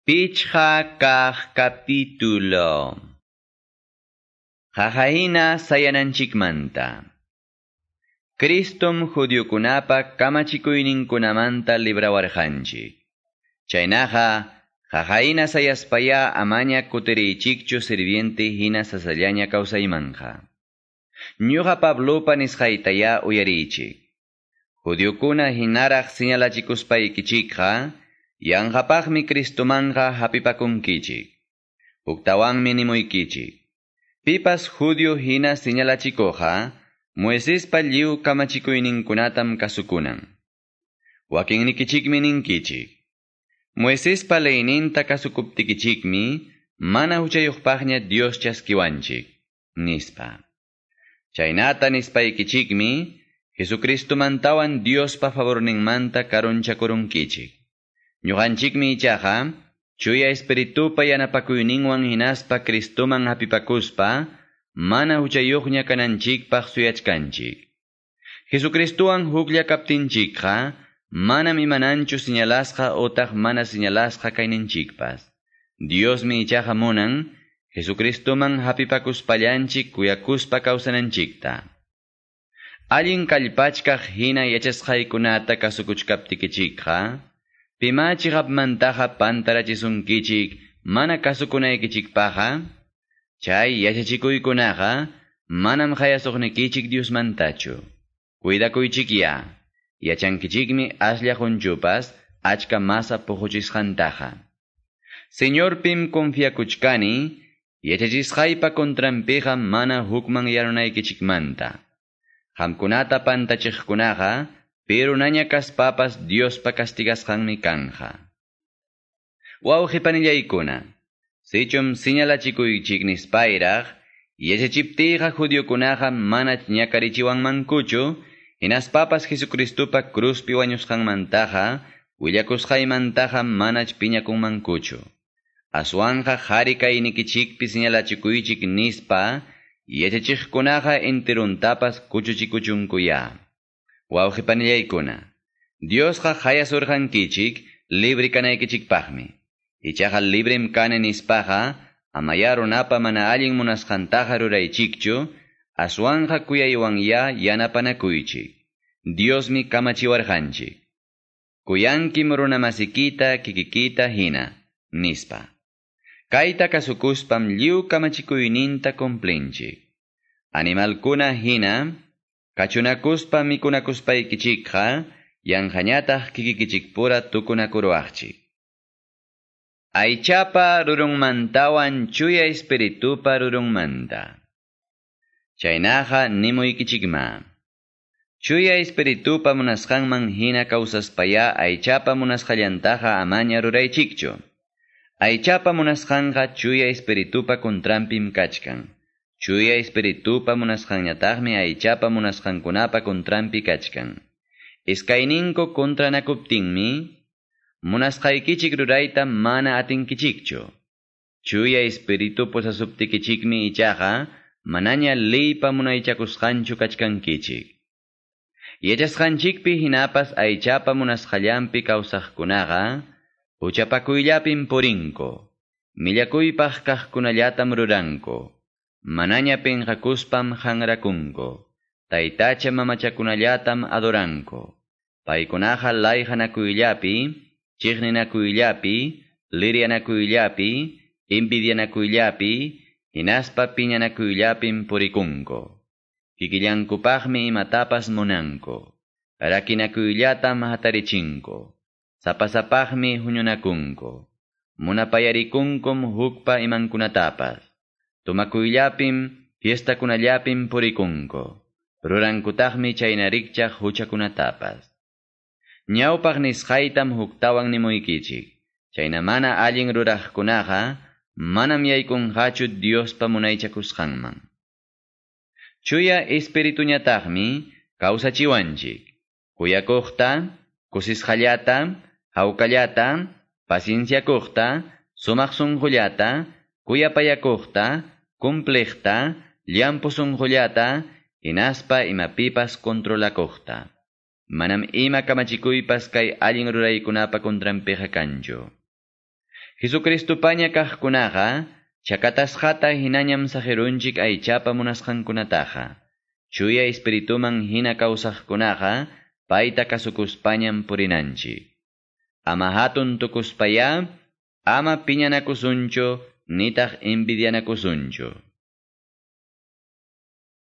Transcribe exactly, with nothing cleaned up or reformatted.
Pichqa kaq capítulo. Qaqahina sayananchikmanta. Cristom judiokunapa kamachikuyninkunamanta librawarqanchik. Chaynaqa, qaqahina sayaspaya amaña kutiriychikchu sirviente hina sasallaña kawsaymanja. Ñuqa Pablopa nisqaytaya uyariychik. Judiokuna hinaraq señalachikuspaykichikqa, yanqapaqmi Cristomanja hapipakunkichik. Huktawanmi nimuykichik. Pipas judio hina señalachikuqqa, Moisespa lliw kamachikuyninkunatam kasukunan. Wakinnikichikmi ninkichik. Moisespa leyninta kasukuptikichikmi, mana huchayuqpaqña Dios chaskiwanchik, nispa. Chaynata nispaykichikmi, Jesucristomantawan Diospa favorninmanta karunchakurunkichik. Ñuqanchikmi ichaqa, chuya espiritupa yanapakuyninwan hinaspa Cristoman hapipakuspa, mana huchayuqña kananchikpaq suyachkanchik. Jesucristowan huklla kaptinchikqa, manam imananchu señalasqa otaq mana señalasqa kayninchikpas. Diosmi ichaqa munan, Jesucristoman hapipakuspallanchik kuyakuspa kawsananchikta. Allin kallpachkaq hina yachasqaykunata kasukuchkaptikichikqa, pima chiqapmantaqa pantarachisunkichik mana kasukunaykichikpaqqa, chay yachachikuykunaqa manam hayasuqnikichik Diosmantachu. Cuidakuychikya, yachankichikmi aslla qunchupas achka masa puquchisqantaqa. Señorpim confiakuchkani, yachachisqaypa contranpiqa mana hukman yarunaykichikmanta. Qamkunata pantachiqkunaqa, pirunaña kaspapas Diospa castigasqanmi kanja. Wawqipanillaykuna, sichum señalachikuychik nispayraq, yachachiptiyqa judiokunaqa mana ñakarichiwanmankuchu, hinaspapas Jesucristopa cruzpi wañusqanmantaqa, willakusqaymantaqa manach piñakunmankuchu. Aswanqa qhari kaynikichikpi señalachikuychik nispa, yachachiqkunaqa enteruntapas kuchuchikuchunkuya. Wawqipanillaykuna, Diosqa hayasurqankichik libre kanaykichikpaqmi. Ichaqa librem kani nispaqa, amaya runapa mana allin munasqantaqa ruraychikchu, aswanqa kuyaywanya yanapanakuychik. Diosmi kamachiwarqanchik. Kuyankim runamasikita kikikita hina, nispa. Kayta kasukuspam lliw kamachikuyninta cumplinchik. Animalkuna hina, kachunakuspa mikunakuspaykichikqa, yanqañataq kikikichikpura tukunakuruwaqchik. Aychapa rurunmantawan chuya espiritupa rurunmanta. Chaynaqa nimuykichikma. Chuya espiritupa munasqanman hina kawsaspaya aychapa munasqallantaqa amaña ruraychikchu. Aychapa munasqanqa chuya espiritupa contranpim kachkan. Chuya espiritupa munasqanñataqmi aychapa munasqankunapa contranpi kachkan. Iskayninku contranakuptinmi, munasqaykichik rurayta mana atinkichikchu. Chuya espiritu posasuptikichikmi ichaqa, manaña leypa munaychakusqanchu kachkankichik. Yachasqanchikpi hinapas aychapa munasqallanpi kawsaqkunaqa, huchapakuyllapim purinko, millakuypaq kaqkunallatam ruranko, manaña pinqakuspam hanrakunko, taytacha mamachakunallatam adoranko, paykunaqa layqanakuyllapi, chiqninakuyllapi, liryanakuyllapi, envidianakuyllapi, hinaspa piñanakuyllapim purikunko. Kikillankupaqmi imatapas munanko, rakinakuyllatam hatarichinko, sapasapaqmi huñunakunko, munapayarikunkum hukpa imankunatapas, tumakuyllapim, fiestakunallapim purikunko, rurankutaqmi chaynarikchaq huchakunatapas. Ñawpaq nisqaytam huktawan nimuykichik, chayna mana allin ruraqkunaqa, manam yaykunqachu Diospa munaychakusqanman. Chuya espirituñataqmi kawsachiwanchik, kuyakuqta, kusisqallata, hawkallata, pacienciakuqta, sumaq sunqullata, kuyapayakuqta, cumpliqta, llampu sunqullata, hinaspa imapipas controlakuqta. Manam ima kamachikuypas kay allin ruraykunapa contranpiqa kanchu. Jesucristupaña kaqkunaqa chakatasqata hinañam saqirunchik aychapa munasqankunataqa. Chuya espirituman hina kawsaqkunaqa payta kasukuspañam purinanchik. Ama hatun tukuspaya, ama piñanakusunchu, nitaq envidianakusunchu.